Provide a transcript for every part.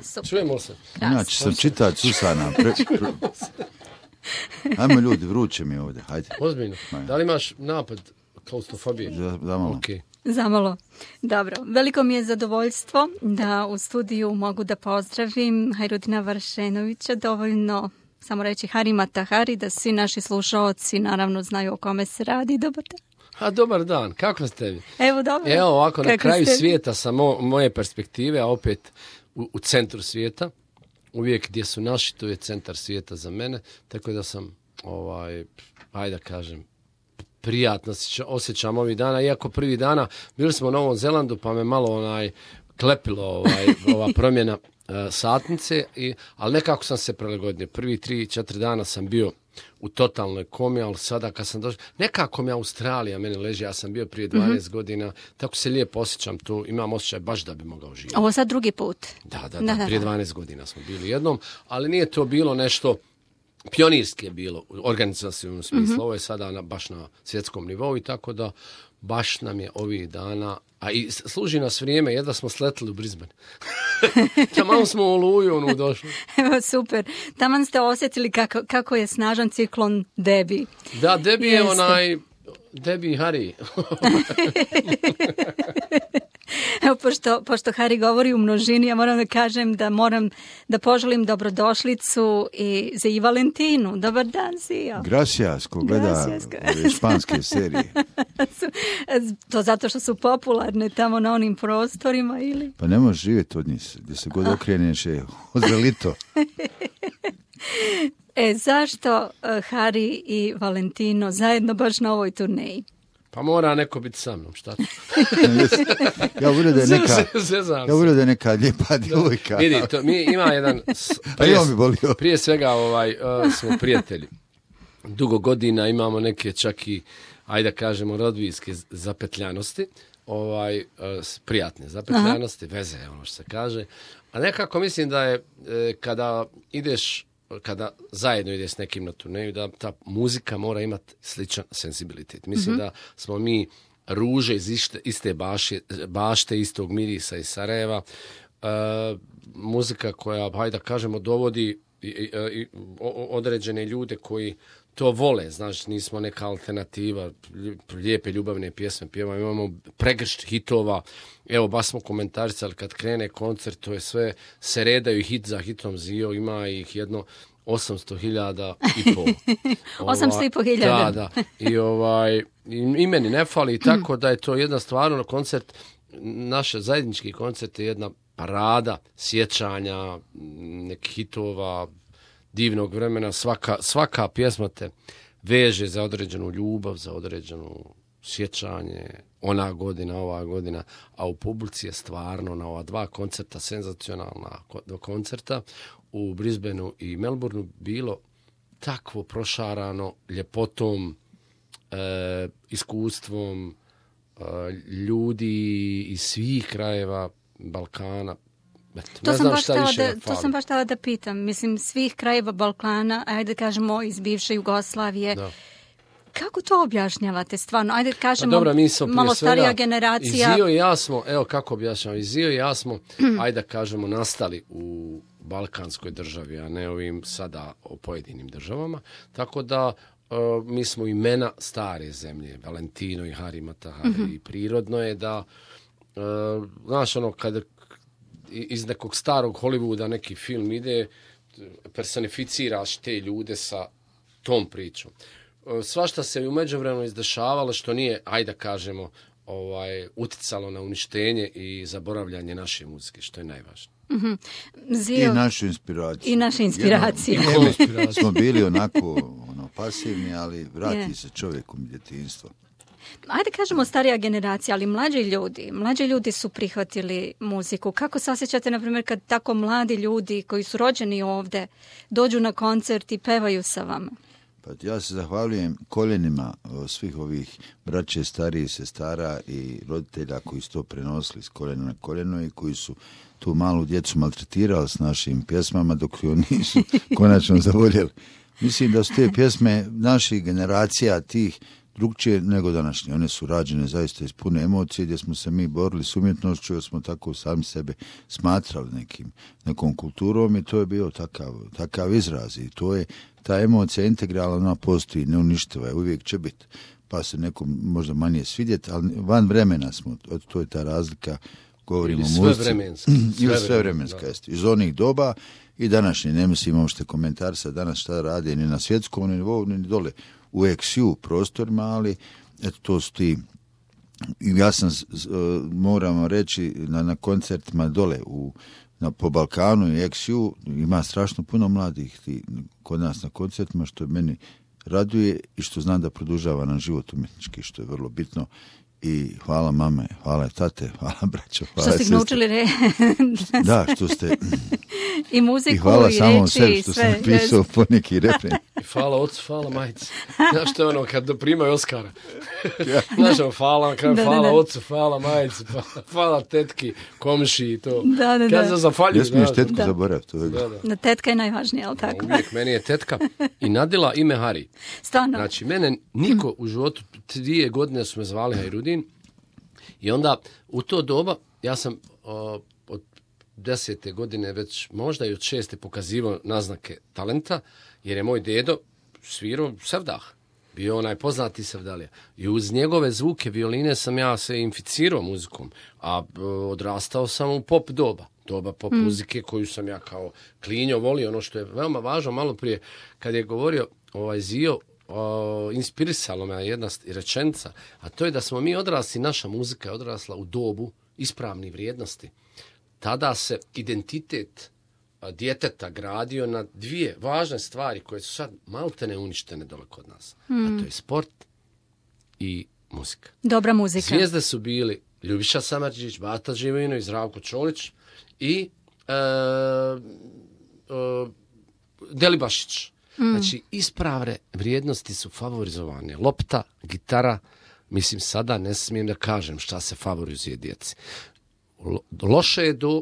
Super. Čujemo se. Inače sam čitač Susana. Ajmo ljudi, vruće mi ovdje, hajde. Ozbiljno. Da li imaš napad klaustrofobije? Zamalo. Okay. Zamalo. Dobro. Veliko mi je zadovoljstvo da u studiju mogu da pozdravim Hajrudina Varšenovića, dovoljno samo reći Harimata Hari, da svi naši slušaoci naravno znaju o kome se radi. Dobar dan. Dobar dan, kako ste vi? Evo, dobro. Evo ovako, na kraju ste... svijeta sa moje perspektive, a opet u centru svijeta. Uvijek gdje su naši, to je centar svijeta za mene, tako da sam, ajde da kažem, prijatno osjećam ovih dana, iako prvi dana bili smo u Novom Zelandu, pa me malo klepilo ova promjena satnice, ali nekako sam se prilagodio. Prvi 3-4 dana sam bio u totalnoj komi, ali sada kad sam došao, nekako mi Australija meni leži, ja sam bio prije 12 godina, tako se lijepo osjećam tu, imam osjećaj baš da bi mogao živjeti. Ovo sad drugi put. Da, prije 12 godina smo bili jednom, ali nije to bilo nešto pionirski je bilo u organizacijnom smislu, ovo je sada baš na svjetskom nivou i tako da baš nam je ovih dana, a i služi nas vrijeme, jedva smo sletili u Brisbane. Taman smo u Oluju došli. Evo, super. Taman ste osjetili kako je snažan ciklon Debbie. Da, Debbie je Debbie Hari. Evo, pošto Hari govori u množini, ja moram da kažem da moram da poželim dobrodošlicu i za i Valentinu. Dobar dan, Zio. Gracias, ko gleda ove španske serije. To zato što su popularne tamo na onim prostorima, ili? Pa ne možeš živjeti od njih, gdje se god okreneš je odvelito. Zašto Hari i Valentino zajedno baš na ovoj turneji? Pa mora neko biti sa mnom, šta? Ja volio da je neka lijepa djevojka. Vidi, ima jedan... Prije svega smo prijatelji. Dugo godina imamo neke čak i, ajde da kažemo, rodbinske zapetljanosti. Prijatne zapetljanosti, veze je ono što se kaže. A nekako mislim da je kada zajedno ide s nekim na turneju, da ta muzika mora imati sličan senzibilitet. Mislim da smo mi ruže iz iste bašte, istog mirisa iz Sarajeva. Muzika koja, hajde da kažemo, dovodi određene ljude koji to vole, znači nismo neka alternativa, lijepe ljubavne pjesme pjevamo, imamo pregršt hitova, evo baš smo komentarisali kad krene koncert, to je sve, se redaju hit za hitom, Zio ima ih jedno 800.000 i pol. 800.000. Da. I meni ne fali, tako da je to jedna stvarno koncert, naš zajednički koncert je jedna parada sjećanja, nekih hitova, divnog vremena, svaka pjesma te veže za određenu ljubav, za određenu sjećanje, ona godina, ova godina, a u publici je stvarno na ova dva koncerta, senzacionalna koncerta u Brisbaneu i Melbourneu bilo takvo prošarano ljepotom, iskustvom ljudi iz svih krajeva Balkana. To sam baš htjela da pitam. Mislim, svih krajeva Balkana, ajde kažemo iz bivše Jugoslavije. Da. Kako to objašnjavate stvarno? Ajde kažemo, dobro, malo starija generacija. I Zio i ja smo, evo kako objašnjavam, i Zio i ja smo, ajde kažemo, nastali u balkanskoj državi, a ne ovim sada o pojedinim državama. Tako da mi smo imena stare zemlje, Valentino i Harimata Hari. I prirodno je da, znaš ono, kada iz nekog starog Hollywooda neki film ide, personificiraš te ljude sa tom pričom. Svašta se u međuvremenu izdešavalo što nije, ajde da kažemo, uticalo na uništenje i zaboravljanje naše muzike, što je najvažnije. Zio. I našu inspiraciju. I naše inspiracije. Smo bili onako pasivni, ali vrati se čovjeku u djetinjstvo. Ajde kažemo starija generacija, ali mlađi ljudi su prihvatili muziku. Kako se osjećate, na primjer, kad tako mladi ljudi koji su rođeni ovdje dođu na koncert i pevaju sa vama? Pa ja se zahvaljujem koljenima svih ovih braće, starijih sestara i roditelja koji su to prenosili s koljena na koljeno i koji su tu malu djecu maltretirali s našim pjesmama dok ju nisu konačno zavoljeli. Mislim da su te pjesme naših generacija tih drugčije nego današnje. One su rađene zaista iz pune emocije, gdje smo se mi borili s umjetnošću, jer smo tako sami sebe smatrali nekom kulturom i to je bio takav izraz. I to je, ta emocija integralna, ona postoji, neuništiva je, uvijek će biti. Pa se nekom možda manje svidjeti, ali van vremena smo, to je ta razlika, govorimo o muzici. Sve vremenska. Iz onih doba i današnje, ne mislim, možete komentar sa danas šta radi ni na svjetskom nivou, ni dole u XU prostorima, ali eto, to su ti. Ja sam, moram reći, na koncertima dole po Balkanu i XU ima strašno puno mladih kod nas na koncertima, što meni raduje i što znam da produžava nam život umjetnički, što je vrlo bitno. I hvala mame, hvala tate, hvala braćo, hvala što ste naučili Da, što ste... I muziku, i hvala i samom reči, sebi što sam pisao po neki refren. I hvala ocu, hvala majici. Znaš što je ono kad primaju Oskara? Znaš ono, hvala ocu, hvala majici, hvala tetki, komši i to. Da. Kad se zafaljuju. Ne smiješ tetku zaboraviti. Da, tetka je najvažnija, ali tako? Uvijek meni je tetka i nadila ime Hari. Stvarno. Znači, mene niko u životu, 2 godine su me zvali Hajrudin i onda u to doba ja sam od 10. godine već možda i od 6. pokazivao naznake talenta, jer je moj dedo svirao sevdah. Bio onaj poznati sevdalija. I uz njegove zvuke violine sam ja se inficirao muzikom, a odrastao sam u pop doba pop muzike koju sam ja kao klinjo volio. Ono što je veoma važno, malo prije kad je govorio Zio, inspirisalo me jedna rečenica, a to je da smo mi odrasli, naša muzika je odrasla u dobu ispravnih vrijednosti. Tada se identitet djeteta gradio na 2 važne stvari koje su sad maltene uništene dole kod nas. A to je sport i muzika. Dobra muzika. Zvijezde su bili Ljubiša Samardžić, Bata Živojinović, Zdravko Čolić i Delibašić. Znači, ispravne vrijednosti su favorizovane. Lopta, gitara, mislim sada ne smijem da kažem šta se favorizuje djeci.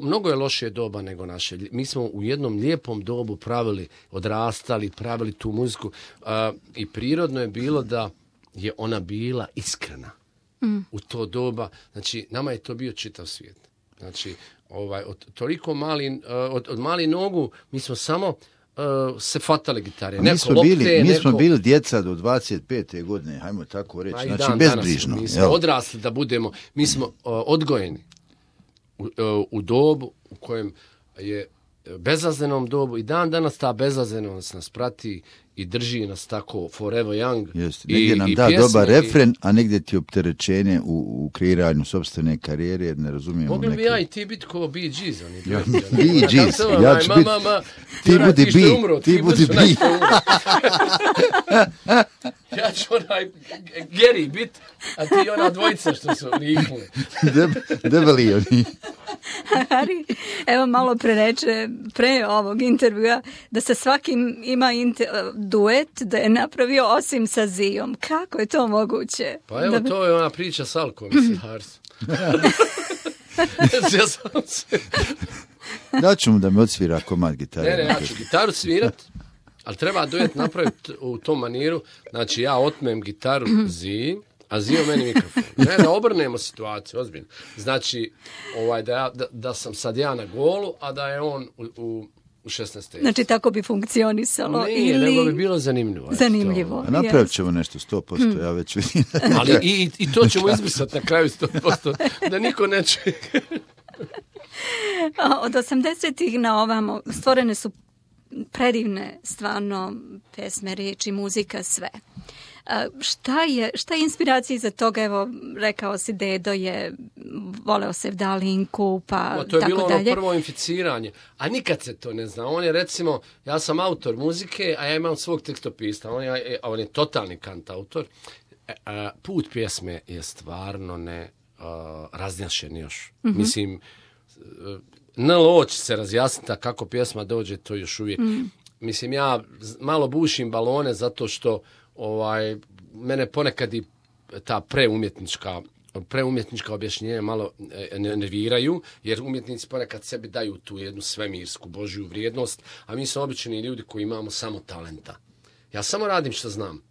Mnogo je lošije doba nego naše. Mi smo u jednom lijepom dobu odrastali, pravili tu muziku i prirodno je bilo da je ona bila iskrena u to doba. Znači, nama je to bio čitav svijet. Znači, od malih nogu mi smo samo se fatale gitare. Mi smo bili djeca do 25. godine, hajmo tako reći. Znači, bezbrižno. Mi smo odrasli da budemo, mi smo odgojeni u dobu u kojem je bezazlenom dobu i dan danas ta bezazlenost nas prati i drži nas tako forever young. Jeste, negdje nam da dobar refren, a negdje ti opterećenje u kreiranju sopstvene karijere, jer ne razumijemo mogli bi ja i ti biti kao Bee Gees. Bee Gees, ja ću biti, ti budi Bee, ti budi Bee. Ja ću onaj Gary bit, a ti ona dvojica što su liknuli. Debeli oni. Hari, evo malo pre ovog intervjua, da sa svakim ima duet, da je napravio osim sa Zijom. Kako je to moguće? Pa evo, to je ona priča s Alkom, Harsu. Daću mu da mi odsvira komad gitare. Ne, ja ću gitaru svirat, ali treba duet napraviti u tom maniru. Znači, ja otmem gitaru Ziji, a Zio meni mikrofon. Ne, da obrnemo situaciju, ozbiljno. Znači, da sam sad ja na golu, a da je on u 16. Znači, tako bi funkcionisalo. Nije, nego bi bilo zanimljivo. Zanimljivo. Napravit ćemo nešto 100%, ja već vidim. Ali i to ćemo izbrisati na kraju 100%, da niko ne čuje. Od 80-ih na ovamo stvorene su predivne stvarno pesme, riječi, muzika, sve. Šta je inspiracija za toga? Evo, rekao si, dedo je voleo sevdalinku, pa tako dalje. To je bilo ono prvo inficiranje, a nikad se to ne zna. On je, recimo, ja sam autor muzike, a ja imam svog tekstopista, on je totalni kantautor. Put pjesme je stvarno ne raznjašen još. Mm-hmm. Mislim, NLO će se razjasniti, a kako pjesma dođe, to još uvijek. Mislim, ja malo bušim balone zato što mene ponekad i ta preumjetnička objašnjenja malo nerviraju, jer umjetnici ponekad sebi daju tu jednu svemirsku božju vrijednost, a mi smo obični ljudi koji imamo samo talenta. Ja samo radim što znam.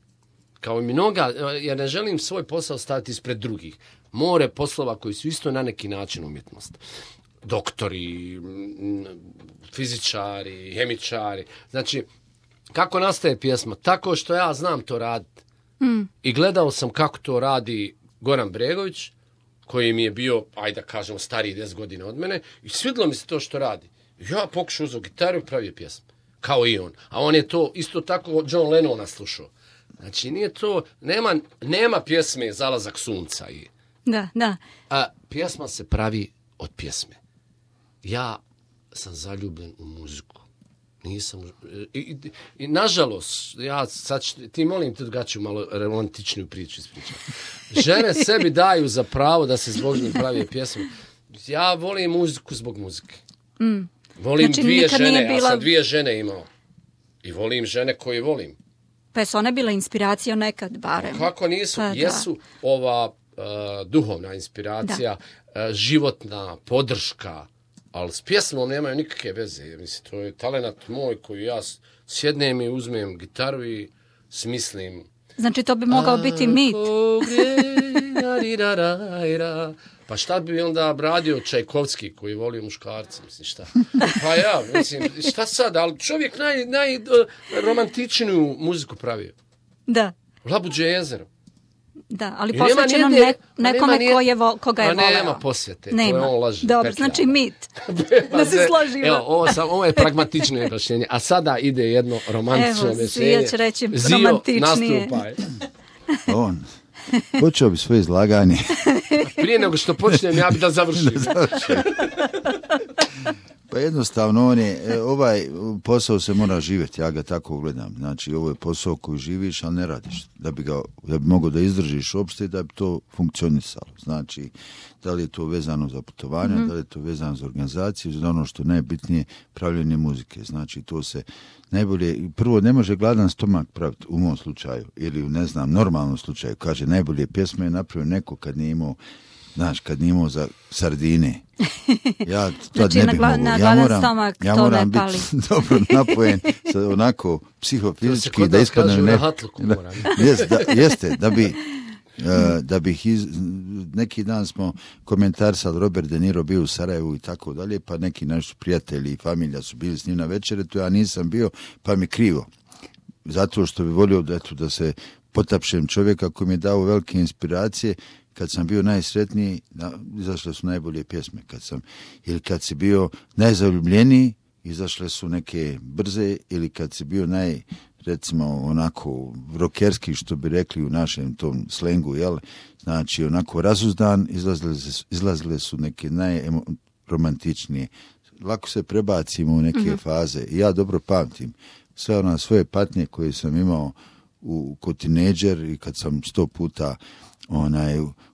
kao i mnoga, ja ne želim svoj posao staviti ispred drugih. More poslova koji su isto na neki način umjetnost. Doktori, fizičari, hemičari. Znači, kako nastaje pjesma? Tako što ja znam to raditi. I gledao sam kako to radi Goran Bregović, koji mi je bio, ajde da kažemo, stariji 10 godina od mene, i svidilo mi se to što radi. Ja pokušao uzeo gitaru i pravio pjesmu. Kao i on. A on je to isto tako John Lennona slušao. Znači, nije to, nema pjesme Zalazak sunca. Da. A pjesma se pravi od pjesme. Ja sam zaljubljen u muziku. Nisam... I nažalost, ja sad ti molim te drugačiju malo romantičniju priču ispričati. Žene sebi daju za pravo da se zbog njih pravi pjesme. Ja volim muziku zbog muzike. Volim znači, dvije žene, ja sam dvije žene imao. I volim žene koje volim. Pa su one bila inspiracija nekad, barem? Kako nisu? Pa, jesu ova duhovna inspiracija, životna podrška, ali s pjesmom nemaju nikakve veze. Mislim, to je talenat moj koji ja sjednem i uzmem gitaru i smislim. Znači, to bi mogao biti mit. Pa šta bi onda radio Čajkovski koji volio muškarca, mislim, šta? Pa ja, mislim, šta sad, ali čovjek najromantičniju muziku pravio. Da. Labuđe jezero. Da, ali posvećeno nekome koga je voleo. Nema posvete, to je on laže. Dobro, znači mit. Da se složimo. Evo, ovo je pragmatično objašnjenje, a sada ide jedno romantično objašnjenje. Evo, svi će reći romantičnije. Zio, nastupaj. On počeo bi svoje izlaganje. Prije nego što počnem, ja bi da završim. Pa jednostavno, ovaj posao se mora živjeti, ja ga tako gledam. Znači, ovo je posao koji živiš, ali ne radiš. Da bi mogao da izdržiš uopšte, da bi to funkcionisalo. Znači, da li je to vezano za putovanje, da li je to vezano za organizaciju, za ono što je najbitnije, pravljenje muzike. Znači, to se najbolje, prvo ne može gladan stomak praviti u mom slučaju, ili u, ne znam, normalnom slučaju. Kaže, najbolje pjesme je napravio neko kad nije imao za sardine. Ja tad znači, ne bih mogao. Ja moram biti dobro napojen, onako psihofizički da ispadnem jeste, da bih neki dan smo komentarisali, Robert De Niro bio u Sarajevu i tako dalje, pa neki naši prijatelji i familija su bili s njim na večeretu, ja nisam bio, pa mi krivo. Zato što bi volio da se potapšem čovjeka koji mi je dao velike inspiracije. Kad sam bio najsretniji, izašle su najbolje pjesme. Kad si bio najzaljubljeniji, izašle su neke brze, ili kad si bio recimo, onako rokerski, što bi rekli u našem tom slengu, jel? Znači, onako razuzdan, izlazile su neke najromantičnije. Lako se prebacimo u neke faze. Ja dobro pamtim sve svoje patnje koje sam imao ko tineđer i kad sam 100 puta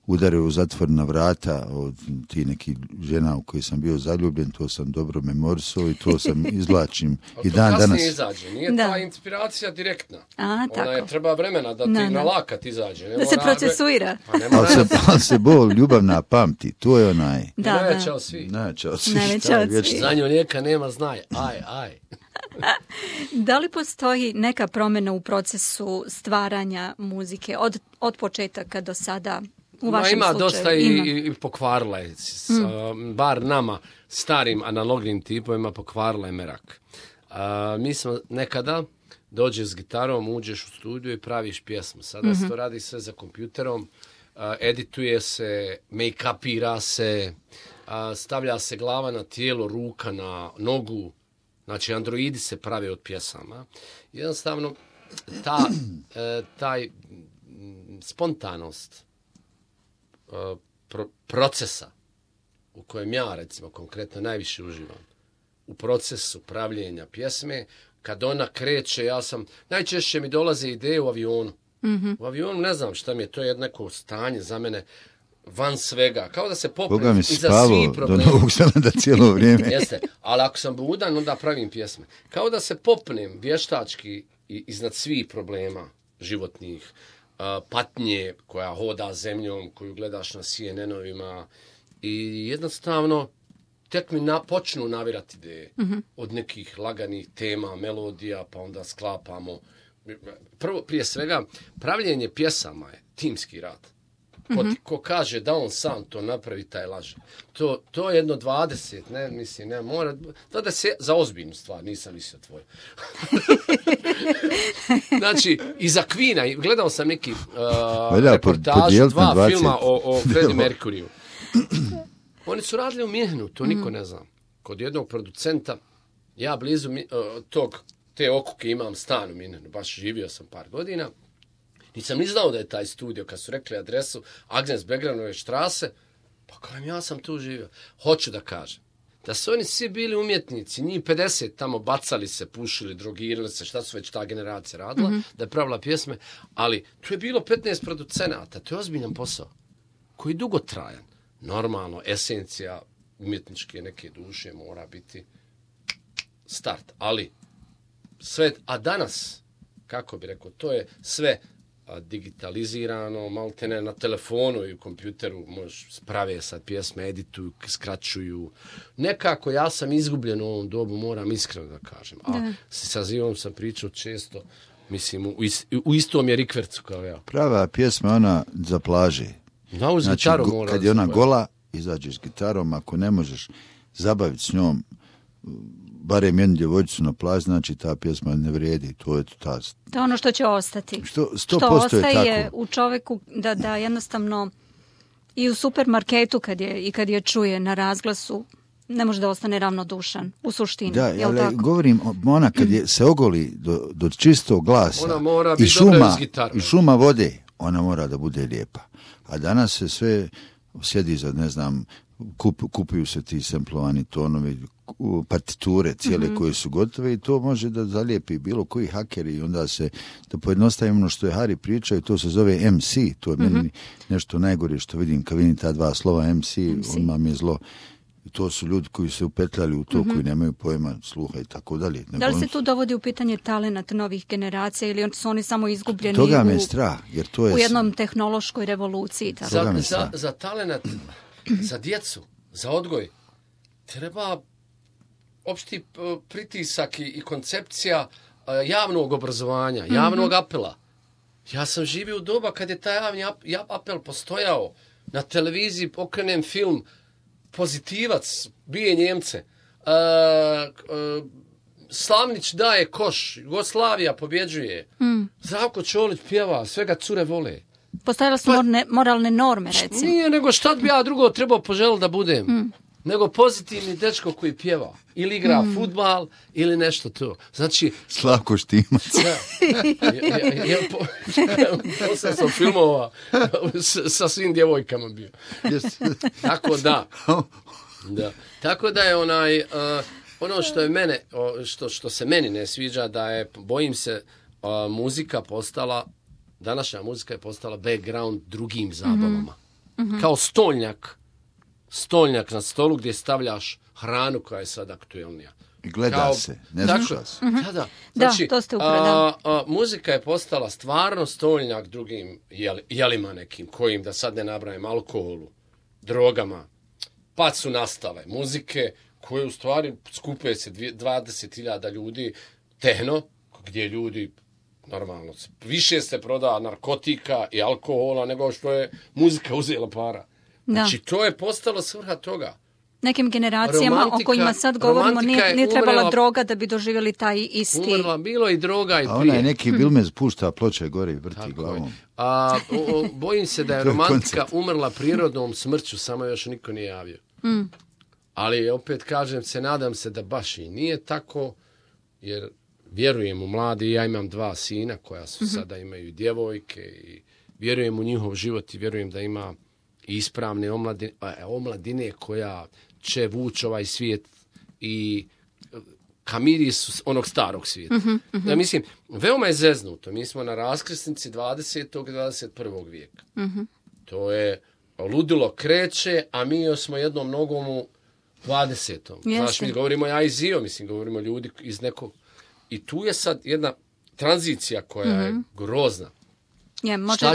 udario u zatvorna vrata od ti nekih žena u koji sam bio zaljubljen, to sam dobro memorisao i to sam izvlačim i dan danas. Ali to kasnije izađe, nije ta inspiracija direktna. Treba vremena da ti na lakat izađe. Da se procesuira. Ali se bol ljubavna pamti, to je onaj. Najveća od svih. Za nju neka nema znaj, aj. Da li postoji neka promjena u procesu stvaranja muzike od početaka do sada u vašem slučaju? Ima dosta i pokvarila je. Bar nama, starim analognim tipovima, pokvarila je merak. Mi smo nekada dođeš s gitarom, uđeš u studiju i praviš pjesmu. Sada se to radi sve za kompjuterom, edituje se, make-upira se, stavlja se glava na tijelo, ruka na nogu. Znači, androidi se prave od pjesama. Jednostavno, taj spontanost procesa u kojem ja, recimo, konkretno najviše uživam, u procesu pravljenja pjesme, kad ona kreće, najčešće mi dolaze ideje u avionu. U avionu ne znam šta mi je, to je neko stanje za mene, van svega, kao da se popnem iza svih problema. Do Novog Zelanda cijelo vrijeme. Jeste, ali ako sam budan, onda pravim pjesme. Kao da se popnem vještački iznad svih problema životnih, patnje koja hoda zemljom, koju gledaš na CNN-ovima i jednostavno tek mi počnu navirati ideje od nekih laganih tema, melodija, pa onda sklapamo prvo, prije svega, pravljenje pjesama je timski rad. Ko kaže da on sam to napravi, taj laže. To je jedno 20, ne mora, 20 za ozbiljnu stvar, nisam mislio tvoje. Znači, i za Queena, gledao sam neki reportaž, 2 filma o Freddie Mercuryu. Oni su radili u Minhenu, to niko ne zna. Kod jednog producenta, ja blizu te okuke imam stan u Minhenu, baš živio sam par godina. Nisam ni znao da je taj studio, kad su rekli adresu Agnes Begranove štrase, pa kajem, ja sam tu živio. Hoću da kažem, da su oni svi bili umjetnici, njih 50 tamo bacali se, pušili, drogirali se, šta su već ta generacija radila, da je pravila pjesme, ali tu je bilo 15 producenata, to je ozbiljan posao, koji je dugotrajan. Normalno, esencija umjetničke neke duše mora biti start, ali sve, a danas, kako bi rekao, to je sve digitalizirano, maltene na telefonu i u kompjuteru sprave sad pjesme, edituju, skraćuju. Nekako ja sam izgubljen u ovom dobu, moram iskreno da kažem. A sa Zivom sam pričao često, mislim, u istom je rikvercu kao ja. Prava pjesma ona za plaže. Znači, kad je ona gola, izađeš s gitarom, ako ne možeš zabaviti s njom barem jednu djevojčicu na plaži, znači ta pjesma ne vrijedi. To je ono što će ostati. Što ostaje u čovjeku da jednostavno i u supermarketu kad je čuje na razglasu, ne može da ostane ravnodušan u suštini. Da, ali govorim, ona kad se ogoli do čistog glasa i šuma vode, ona mora da bude lijepa. A danas se sve sjedi za, ne znam, kupuju se ti samplovani tonovi, partiture cijele koje su gotove i to može da zalijepi bilo koji hakeri i onda se, da pojednostavimo ono što je Hari pričao i to se zove MC, to je meni nešto najgore što vidim kad vidim ta 2 slova MC. Odmah mi je zlo. I to su ljudi koji se upetljali u to, koji nemaju pojma, sluha i tako dalje. Da li se tu dovodi u pitanje talenat novih generacija ili su oni samo izgubljeni toga me strah, jer to je u jednom tehnološkoj revoluciji? Za talenat, za djecu, za odgoj, treba opšti pritisak i koncepcija javnog obrazovanja, javnog apela. Ja sam živio u doba kad je taj javni apel postojao. Na televiziji okrenem film Pozitivac, bije Njemce. Slavnić daje koš, Jugoslavija pobjeđuje. Zdravko Čolić pjeva, svega cure vole. Postojale su moralne norme, recimo. Nije, nego šta bi ja drugo trebao poželiti da budem. Nego pozitivni dečko koji pjeva. Ili igra fudbal, ili nešto to. Znači... Slavko Štimac. Posle sam filmova sa svim djevojkama bio. Tako da. Tako da je ono što je mene, što se meni ne sviđa, da je, bojim se, muzika postala, današnja muzika je postala background drugim zabavama. Kao stolnjak na stolu gdje stavljaš hranu koja je sad aktuelnija. I gleda se, ne sluša se. Da. Znači, to ste upravo. Muzika je postala stvarno stolnjak drugim jelima nekim, kojim, da sad ne nabrajam, alkoholu, drogama, pa su nastale muzike koje u stvari skupuje se 20.000 ljudi, tehno, gdje ljudi normalno više se proda narkotika i alkohola nego što je muzika uzela para. Znači, to je postalo svrha toga. Nekim generacijama o kojima sad govorimo nije trebala droga da bi doživjeli taj isti... Umrla, bilo i droga i prije. A onaj neki Bilmez pušta ploče gore i vrti glavom. Bojim se da je romantika umrla prirodnom smrću, samo još niko nije javio. Ali opet kažem se, nadam se da baš i nije tako, jer vjerujem u mladi, ja imam 2 sina koja su sada imaju djevojke i vjerujem u njihov život i vjerujem da ima i ispravne omladine koja će vući ovaj svijet i ka mirisu onog starog svijeta. Ja mislim, veoma je zeznuto. Mi smo na raskrsnici 20. i 21. vijeka. To je ludilo kreće, a mi još smo jednom nogom u 20. Znaš, mi govorimo ja i Zio, mislim, govorimo ljudi iz nekog... I tu je sad jedna tranzicija koja je grozna.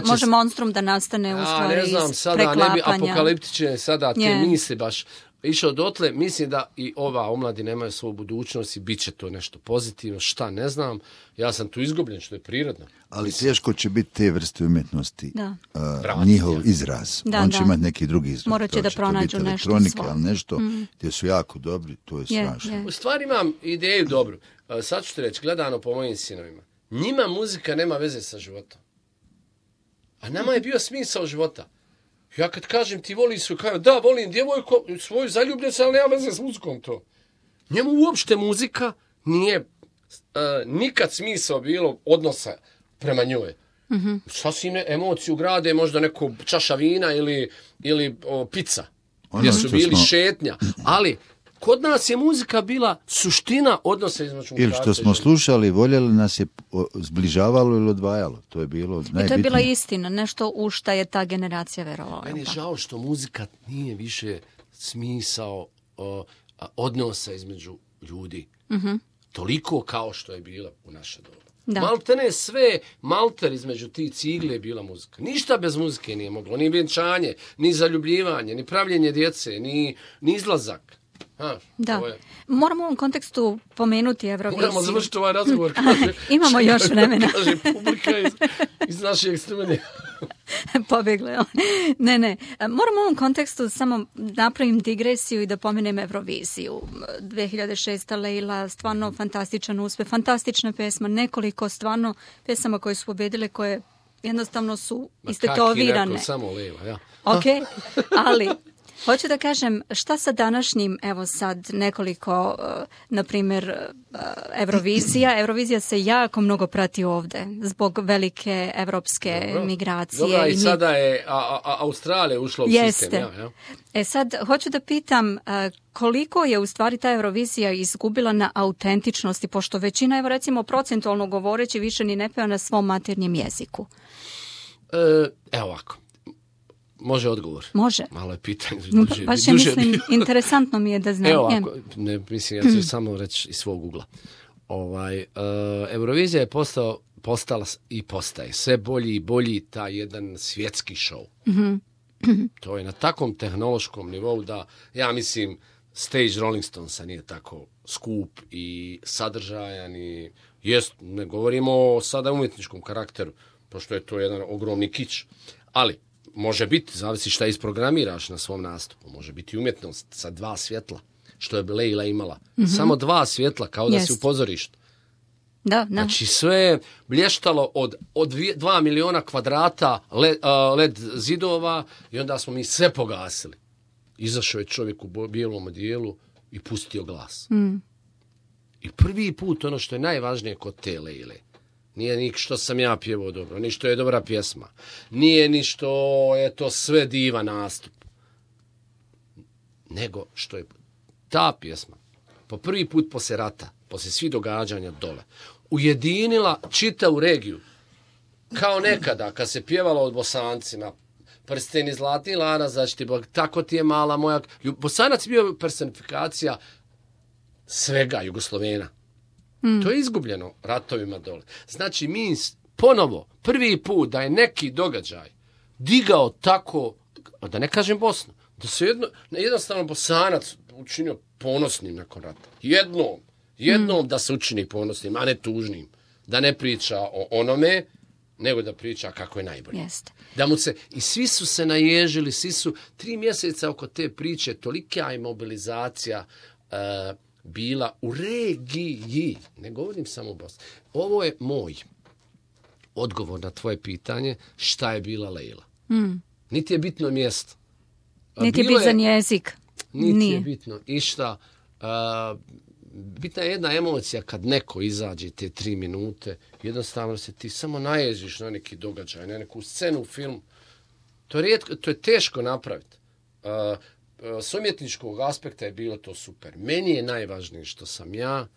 Može monstrum da nastane u stvari iz preklapanja. Ne znam sada, ne bi apokaliptične sada te misli baš, išao dotle, mislim da i ova omladina nemaju svoju budućnost i bit će to nešto pozitivno, šta ne znam. Ja sam tu izgubljen, što je prirodno. Ali teško će biti te vrste umjetnosti, Da. njihov izraz. Da, On će da. imati neki drugi izraz. Morat će To da to pronađu biti nešto elektronika, svoje. ali nešto gdje su jako dobri, to je strašno. U stvari imam ideju dobru. Sad ću ti reći, gledano po mojim sinovima. Njima muzika nema veze sa životom. A nama je bio smisao života. Ja kad kažem ti voliš svoju, kažem da, volim djevojku, svoju zaljubljenicu, ali nema veze s muzikom to. Njemu uopšte muzika nije nikad smisao bilo odnosa prema njoj. Mm-hmm. Sasvim emociju grade možda neko čaša vina ili pizza, gdje su bili šetnja. Ali kod nas je muzika bila suština odnosa između muškarca. Ili što smo slušali, voljeli nas je zbližavalo ili odvajalo. To je bilo najbitnije. I to je bila istina, nešto u šta je ta generacija verovala. Meni je žao što muzika nije više smisao odnosa između ljudi. Mm-hmm. Toliko kao što je bila u naše doba. Da. Maltene sve, malter između ti cigle je bila muzika. Ništa bez muzike nije moglo. Ni vjenčanje, ni zaljubljivanje, ni pravljenje djece, ni izlazak. Da. Moramo u ovom kontekstu pomenuti Euroviziju. Moramo završiti ovaj razgovor. Imamo još vremena. Kaže publika iz našeg studija. Pobjegle. Ne. Moram u ovom kontekstu samo napravim digresiju i da pomenem Euroviziju. 2006. Leila, stvarno fantastičan uspjeh, fantastična pesma, nekoliko stvarno pesama koje su pobjedile, koje jednostavno su istetovirane. Kaki samo Leila, ja. Ok, ali hoću da kažem, šta sa današnjim, evo sad nekoliko, na primjer, Eurovizija. Eurovizija se jako mnogo prati ovdje zbog velike evropske migracije. Dobra, i sada je Australija ušla u sistem. Ja. Sad, hoću da pitam koliko je u stvari ta Eurovizija izgubila na autentičnosti, pošto većina, evo recimo procentualno govoreći, više ni ne peva na svom maternjem jeziku. Evo ovako. Može odgovor? Može. Malo je pitanje. Baš je, mislim, interesantno mi je da znam. Evo ovako, mislim, ja ću samo reći iz svog ugla. Eurovizija je postala i postaje sve bolji i bolji taj jedan svjetski šou. Mm-hmm. To je na takvom tehnološkom nivou da, ja mislim, stage Rolling Stonesa nije tako skup i sadržajan i ne govorimo sada o umjetničkom karakteru, pošto je to jedan ogromni kič. Ali, može biti, zavisi šta isprogramiraš na svom nastupu, može biti umjetnost sa 2 svjetla, što je Leila imala. Mm-hmm. Samo 2 svjetla, kao da si u pozorištu. Da. Znači sve je blještalo od 2 miliona kvadrata led zidova i onda smo mi sve pogasili. Izašao je čovjek u bijelom odijelu i pustio glas. Mm. I prvi put, ono što je najvažnije kod te Leile, nije ni što sam ja pjevao dobro, ni što je dobra pjesma, nije ni što je to sve divan nastup, nego što je ta pjesma po prvi put poslije rata, poslije svih događanja dole, ujedinila čitavu regiju. Kao nekada, kad se pjevalo od Bosancima, prsteni zlatni lana, zaštiti Bog, tako ti je mala moja... Bosanac je bio personifikacija svega Jugoslovena. To je izgubljeno ratovima dole. Znači, mi ponovo, prvi put da je neki događaj digao tako, da ne kažem Bosnu, da se jednostavno Bosanac učinio ponosnim nakon rata. Jednom da se učini ponosnim, a ne tužnim. Da ne priča o onome, nego da priča kako je najbolje. Jeste. Da mu se, i svi su se naježili, svi su 3 mjeseca oko te priče, tolika je mobilizacija bila u regiji, ne govorim samo u Bosni. Ovo je moj odgovor na tvoje pitanje, šta je bila Leila. Niti je bitno mjesto. Niti je bitan jezik. Niti je bitno išta. Bitna je jedna emocija kad neko izađe te 3 minute, jednostavno se ti samo naježiš na neki događaj, na neku scenu u filmu. To je teško napraviti. S umjetničkog aspekta je bilo to super. Meni je najvažnije što sam ja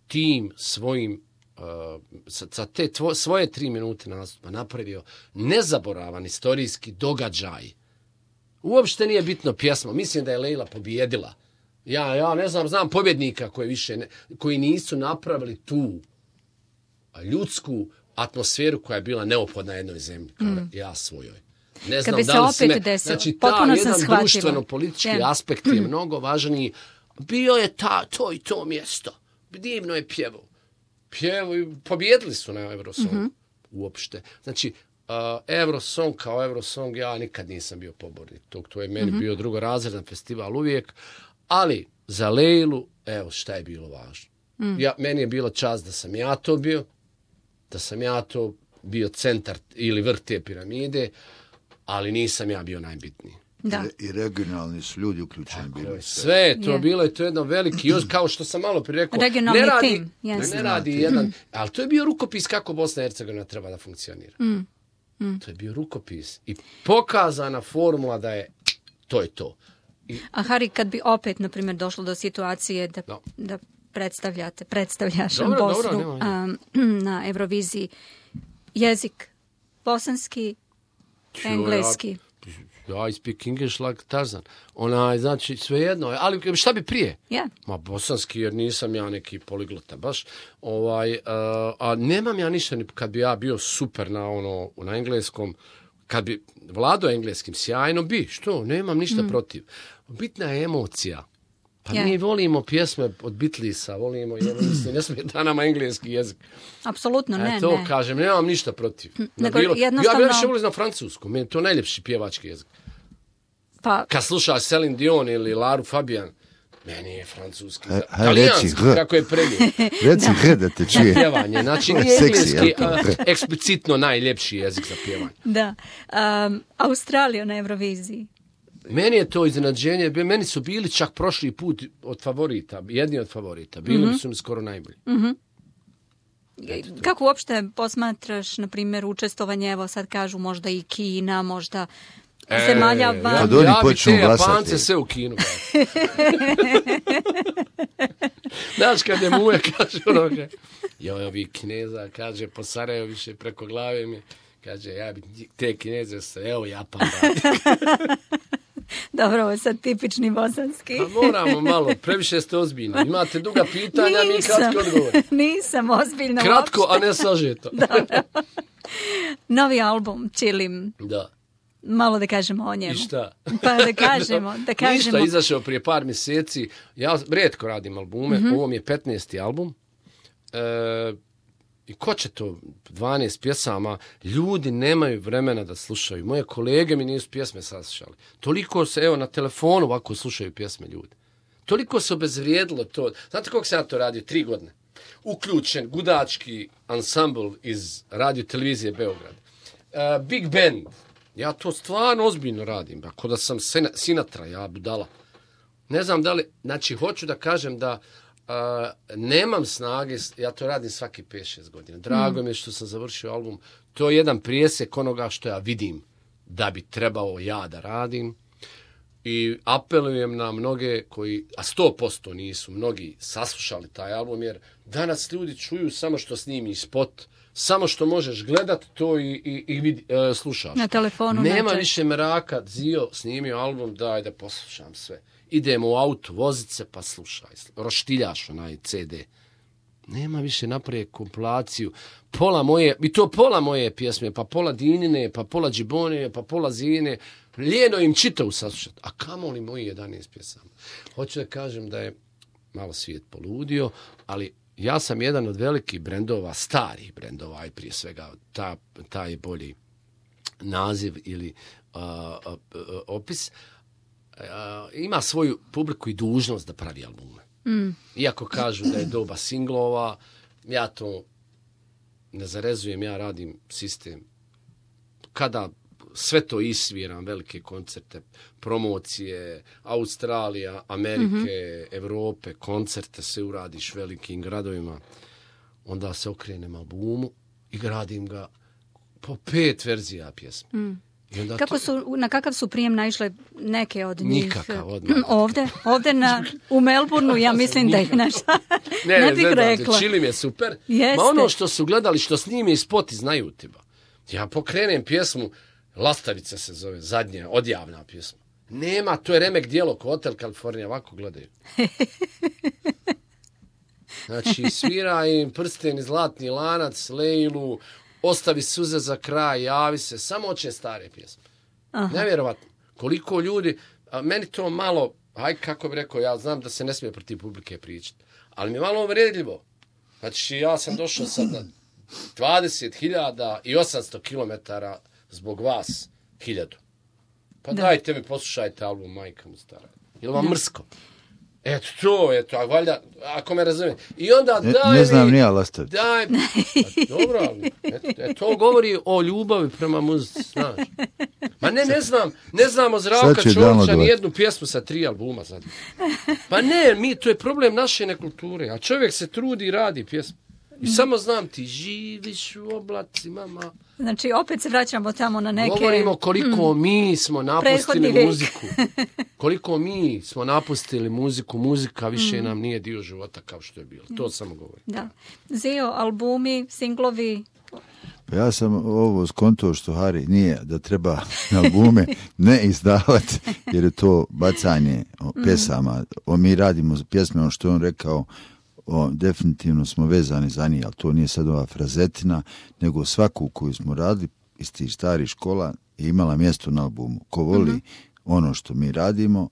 tim svojim sa te svoje 3 minute nastupa napravio nezaboravan istorijski događaj. Uopšte nije bitno pjesma. Mislim da je Leila pobjedila. Ja ne znam pobjednika koji nisu napravili tu ljudsku atmosferu koja je bila neophodna jednoj zemlji, kao ja svojoj. Ne znam Kad bi da se li opet sme. desilo, Znači, potpuno sam jedan shvatila. društveno-politički aspekt je mnogo važniji. Bio je to i to mjesto. Divno je pjevao. Pobjedili su na Eurosong uopšte. Znači, Eurosong kao Eurosong, ja nikad nisam bio pobornik tog. To je meni bio drugorazredan festival uvijek. Ali za Lejlu, evo šta je bilo važno. Meni je bila čast da sam ja to bio, da sam ja to bio centar ili vrh te piramide, ali nisam ja bio najbitniji. Da. I regionalni su ljudi uključeni bili. Sve je to bilo je to jedno veliki, kao što sam malo prije rekao, regionalni ne radi, tim, ne radi jedan, ali to je bio rukopis kako Bosna i Hercegovina treba da funkcionira. To je bio rukopis i pokazana formula da je to. A Hari, kad bi opet, na primjer, došlo do situacije da predstavljaš Bosnu na Euroviziji, jezik bosanski, engleski. I speak English like Tarzan. Znači, svejedno. Ali šta bi prije? Yeah. Ma, bosanski, jer nisam ja neki poliglota baš. A nemam ja ništa, kad bi ja bio super na engleskom, kad bi vladao engleskim sjajno, što? Nemam ništa protiv. Bitna je emocija. Pa mi volimo pjesme od Beatlesa, volimo, ne smeta nama engleski jezik. Apsolutno, ne. To kažem, nemam ništa protiv. Ja bi više volio na francuskom, meni je to najljepši pjevački jezik. Pa... Kad slušaš Celine Dion ili Laru Fabian, meni je francuski, talijanski, kako je predivno. Reci da te čuje. Pjevanje, znači nije engleski eksplicitno najljepši jezik za pjevanje. Da. Australija na Euroviziji. Meni je to iznenađenje, meni su bili čak prošli put jedni od favorita, bili su mi skoro najbolji. Kako uopšte posmatraš, na primjer, učestvovanje, evo sad kažu možda i Kina, možda zemalja van? Kad oni ja bi počnu te glasati. Japance sve u Kinu. Znaš, kad je muja kaže ovi Kineza, kaže po Sarajevo više preko glave mi, kaže ja bi te Kineze evo Japan radi. Dobro, ovo je sad tipični bosanski. Pa moramo malo, previše ste ozbiljni. Imate duga pitanja, mi kratko odgovor. Nisam ozbiljna kratko, uopšte. a ne sažeto. Novi album, Čilim. Da. Malo da kažemo o njemu. I šta? Pa da kažemo. Ništa, izašao prije par mjeseci. Ja rijetko radim albume. Ovo mi je 15. album. I ko će to? 12 pjesama. Ljudi nemaju vremena da slušaju. Moje kolege mi nisu pjesme saslušali. Toliko se, evo, na telefonu ovako slušaju pjesme ljudi. Toliko se obezvrijedilo to. Znate koliko sam ja to radio? 3 godine. Uključen gudački ansambl iz radio televizije Beograd. Big Band. Ja to stvarno ozbiljno radim. Ako da sam Sinatra, ja budala. Ne znam da li, znači hoću da kažem da nemam snage, ja to radim svaki 5-6 godina. Drago mi je što sam završio album. To je jedan prijesek onoga što ja vidim da bi trebao ja da radim. I apelujem na mnoge koji, a 100% nisu mnogi saslušali taj album, jer danas ljudi čuju samo što snimi spot, samo što možeš gledat to i slušaš. Na telefonu. Nema više meraka, Zio snimio album, daj da poslušam sve. Idemo u auto, vozit se pa slušaj. Roštiljaš onaj CD. Nema više napraviti kompilaciju. Pola moje pjesme, pa pola Dinine, pa pola Džibone, pa pola Zine. Lijeno im čitavu saslušati. A kamoli moji 11 pjesama. Hoću da kažem da je malo svijet poludio, ali ja sam jedan od velikih brendova, starih brendova, i prije svega taj bolji naziv ili opis, ima svoju publiku i dužnost da pravi albume. Iako kažu da je doba singlova, ja to ne zarezujem, ja radim sistem. Kada sve to isviram, velike koncerte, promocije, Australija, Amerike, Evrope, koncerte, sve uradiš velikim gradovima, onda se okrenem albumu i gradim ga po 5 verzija pjesme. Na kakav su prijem naišle neke od njih? Nikakav odmah. Ovdje u Melbourneu, ja mislim da je naša. Ne bih rekla. Čilim je super. Jeste. Ma ono što su gledali, što snime i spoti, znaju tiba. Ja pokrenem pjesmu, Lastavica se zove, zadnja, odjavna pjesma. Nema, to je remek dijelo ko Hotel California, ovako gledaju. Znači, svira im Prsten i Zlatni lanac, Lejlu, Ostavi suze za kraj, Javi se, samo oče stare pjesme. Nevjerovatno. Koliko ljudi, meni to malo, kako bi rekao, ja znam da se ne smije protiv publike pričati, ali mi je malo uvredljivo. Znači, ja sam došao sad na 20.800 kilometara zbog vas 1000. Pa dajte mi, poslušajte album Majka mu stara. Je li vam mrsko? Eto, a valjda, ako me razumije. I onda daj ne znam, nije Lastavić. Daj, dobro, ali to govori o ljubavi prema muzici, znaš. Ma ne znam o Zdravka Čolića ni jednu pjesmu sa 3 albuma sad. Pa ne, to je problem naše nekulture, a čovjek se trudi i radi pjesmu. I samo znam, ti živiš u oblacima, mama. Znači, opet se vraćamo tamo na neke... Govorimo koliko mi smo napustili muziku. Koliko mi smo napustili muziku. Muzika više nam nije dio života kao što je bilo. To samo govorim. Da. Zio, albumi, singlovi... Pa ja sam ovo skonto što Hari nije da treba albume ne izdavati, jer je to bacanje pjesama. Mi radimo pjesme, što je on rekao, definitivno smo vezani za njih, ali to nije sad ova frazetina, nego svaku koju smo radili iz tih starih škola je imala mjesto na albumu. Ko voli ono što mi radimo,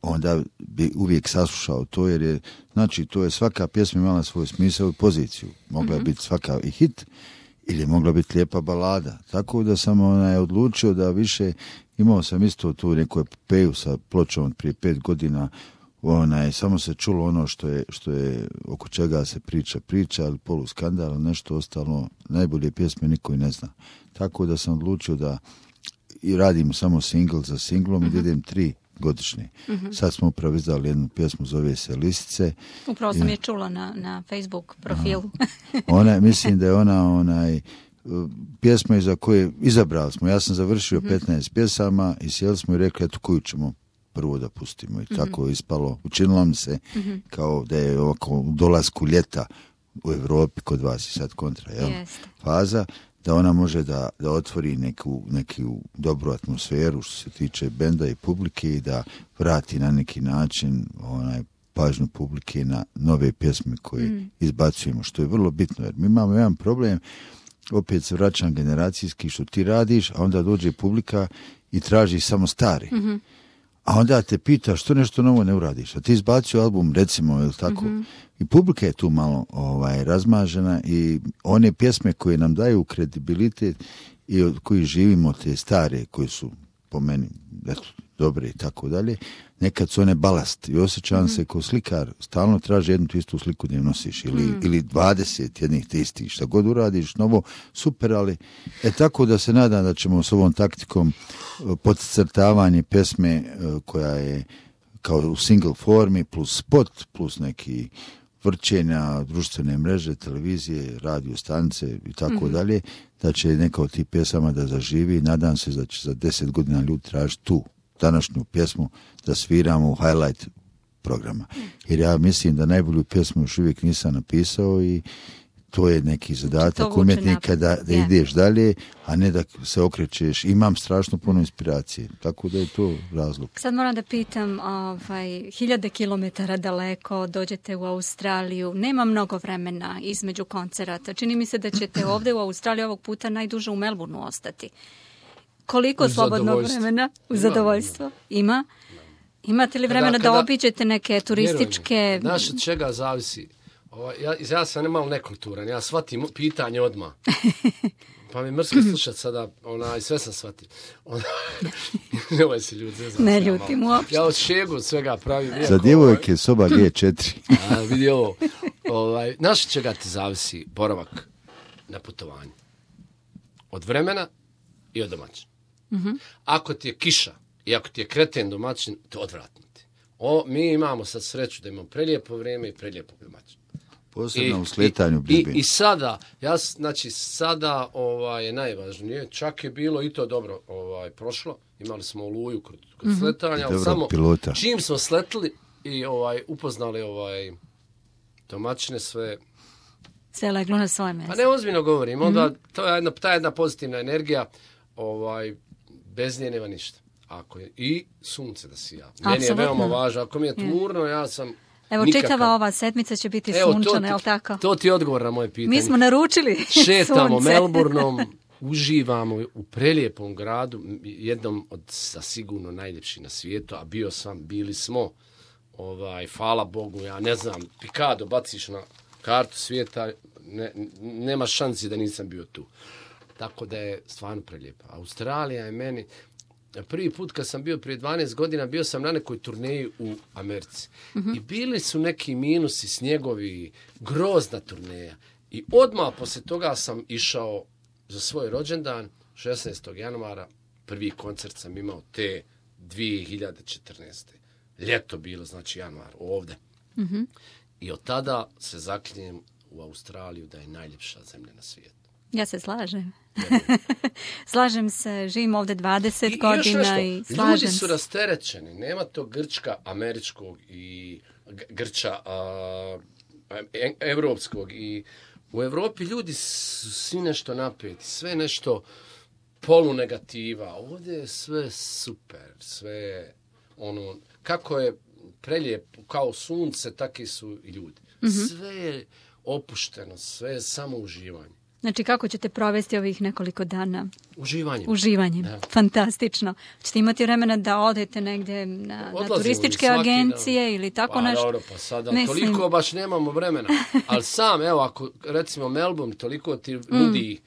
onda bi uvijek saslušao to, jer je, znači, to je svaka pjesma imala svoj smisao i poziciju. Mogla je biti svaka i hit, ili je mogla biti lijepa balada. Tako da sam odlučio da više, imao sam isto tu neku epopeju sa pločom prije 5 godina, samo se čulo ono što je oko čega se priča, ali poluskandal, nešto ostalo, najbolje pjesme niko i ne zna. Tako da sam odlučio da i radim samo single za singlom i idem 3 godišnje. Sad smo upravo izdali jednu pjesmu, zove se Lisice. Upravo sam je čula na Facebook profilu. Mislim da je ona pjesma iza koje izabrali smo. Ja sam završio 15 pjesama i sjeli smo i rekli, eto, koju ćemo prvo da pustimo. I tako je ispalo. Učinilo mi se kao da je ovako u dolasku ljeta u Europi kod vas i sad kontra faza, da ona može da otvori neku dobru atmosferu što se tiče benda i publike i da vrati na neki način pažnju publike na nove pjesme koje izbacujemo, što je vrlo bitno, jer mi imamo jedan problem, opet se vraćam generacijski, što ti radiš, a onda dođe publika i traži samo stari. A onda te pita što nešto novo ne uradiš. A ti izbacio album, recimo, ili tako. I publika je tu malo razmažena i one pjesme koje nam daju kredibilitet i od kojih živimo, te stare, koje su po meni dobre i tako dalje, nekad su one balast i osjećam se kao slikar, stalno traži jednu tu istu sliku gdje nosiš ili 20 jednih te istih, šta god uradiš novo, super, ali tako da se nadam da ćemo s ovom taktikom podcrtavanje pjesme koja je kao u single formi plus spot, plus neki vrćenja, društvene mreže, televizije, radio stanice i tako dalje, da će neka od tih pjesama da zaživi. Nadam se da će za 10 godina ljudi tražiti tu današnju pjesmu da sviramo u highlight programa. Jer ja mislim da najbolju pjesmu još uvijek nisam napisao i to je neki zadatak umjetnika da ideš dalje, a ne da se okrećeš. Imam strašno puno inspiracije, tako da je to razlog. Sad moram da pitam, 1000 kilometara daleko, dođete u Australiju, nema mnogo vremena između koncerata. Čini mi se da ćete ovdje u Australiji ovog puta najduže u Melbourneu ostati. Koliko slobodnog vremena? U zadovoljstvo? Ima? Imate li vremena da obiđete neke turističke... Znaš od čega zavisi? Ja sam malo nekulturan, ja shvatim pitanje odmah. Pa mi mrsko slušati sada, sve sam shvatio. Nemoj se ljudi, ne ljutim uopšte. Ja od šegu od svega pravim. Za djevojke soba G4. Vidi ovo. Znaš od čega ti zavisi boravak na putovanju? Od vremena i od domaćina. Ako ti je kiša i ako ti je kreten domaćin, to odvratno ti. Mi imamo sad sreću da imamo prelijepo vrijeme i prelijepo domaćin. Posebno u sletanju bližbe. I sada, sada je najvažnije, čak je bilo i to dobro prošlo, imali smo Oluju kod sletanja, ali samo pilota. Čim smo sletili i upoznali domaćine sve leglo na svoje mjesto. A ne, ozbiljno govorim, onda to je ta jedna pozitivna energija, bez nje nema ništa. I sunce da sija. Meni je veoma važno, ako mi je tmurno, ja sam... Evo, čitava ova sedmica će biti sunčana, je li tako? To ti je odgovor na moje pitanje. Mi smo naručili Šetamo sunce. Melbourneom, uživamo u prelijepom gradu, jednom od sigurno najljepših na svijetu, a bili smo, hvala Bogu, ja ne znam, Pikado baciš na kartu svijeta, nema šansi da nisam bio tu. Tako da je stvarno prelijepa. Australija je meni, prvi put kad sam bio prije 12 godina, bio sam na nekoj turneji u Americi. I bili su neki minusi, snjegovi, grozna turneja. I odmah poslije toga sam išao za svoj rođendan, 16. januara, prvi koncert sam imao te 2014. Ljeto bilo, znači januar, ovdje. I od tada se zaklinjem u Australiju da je najljepša zemlja na svijetu. Ja se slažem. Slažem se, živim ovdje 20 godina i slažem ljudi su rasterećeni. Nema to grčka američkog i grča evropskog. I u Europi ljudi su svi nešto napeti, sve nešto polunegativa. Ovdje je sve super, sve kako je prelijep kao sunce, takvi su i ljudi. Sve je opušteno, sve je samo uživanje. Znači, kako ćete provesti ovih nekoliko dana? Uživanjem. Da. Fantastično. Ćete imati vremena da odete negdje na turističke agencije ili tako nešto? Dobro, pa sada toliko baš nemamo vremena. Ali sam, evo, ako recimo Melbourne toliko ti nudi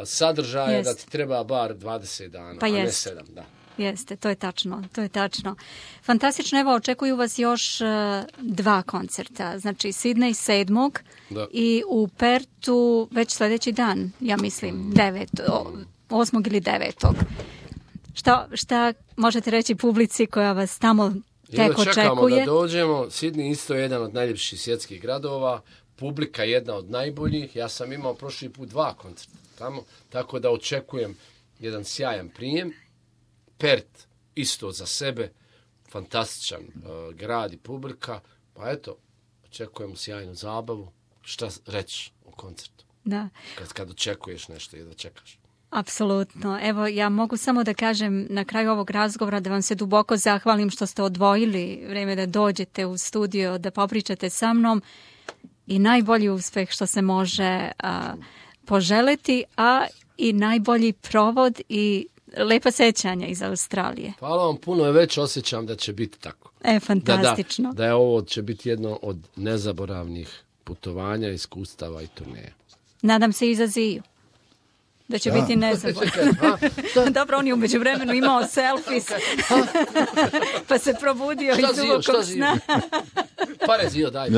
sadržaje da ti treba bar 20 dana, a ne 7, da. Jeste, to je tačno. Fantastično, evo, očekuju vas još 2 koncerta, znači Sidney 7. i u Pertu već sljedeći dan, ja mislim, 8. ili 9. Šta možete reći publici koja vas tamo tek očekuje? Čekamo da dođemo, Sidney isto je jedan od najljepših svjetskih gradova, publika jedna od najboljih, ja sam imao prošli put 2 koncerta tamo, tako da očekujem jedan sjajan prijem. Pert isto za sebe, fantastičan grad i publika, pa eto, očekujemo sjajnu zabavu. Šta reći o koncertu? Da. Kad očekuješ nešto i da čekaš. Apsolutno. Evo, ja mogu samo da kažem na kraju ovog razgovora da vam se duboko zahvalim što ste odvojili vrijeme da dođete u studio, da popričate sa mnom i najbolji uspeh što se može poželiti, a i najbolji provod i lepa sećanja iz Australije. Hvala vam puno, već osjećam da će biti tako. Fantastično. Da je ovo će biti jedno od nezaboravnih putovanja, iskustava i turneja. Nadam se i za Ziju. Da će biti nezaboravno. Dobro, on je umeđu vremenu imao selfies, pa se probudio iz dubokog sna. Pare Zio, daj.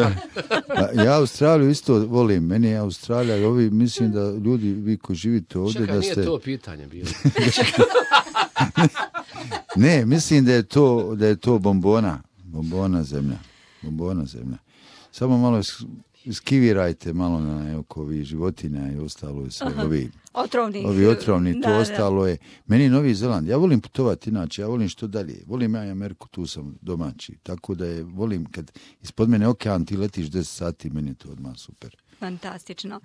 Ja Australiju isto volim, meni je Australija, mislim da ljudi, vi koji živite ovdje, čekaj, da ste... nije to pitanje bilo. Ne, mislim da je to bombona zemlja. Samo malo iskivirajte malo na ovi životinja i ostalo sve. Ovi otrovni, to ostalo je. Meni Novi Zeland, ja volim putovati inače, ja volim što dalje. Volim ja i Ameriku, tu sam domaći. Tako da volim kad ispod mene okean ti letiš 10 sati, meni je to odmah super. Fantastično.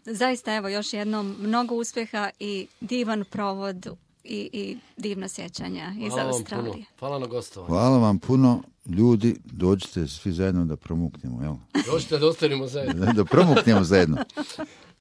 Zaista, evo, još jednom mnogo uspjeha i divan provod i divna sjećanja iz Australije. Hvala na gostovanju. Hvala vam puno. Ljudi, dođite svi zajedno da promuknemo, jel? Dođite da ostanemo zajedno. Da promuknemo zajedno.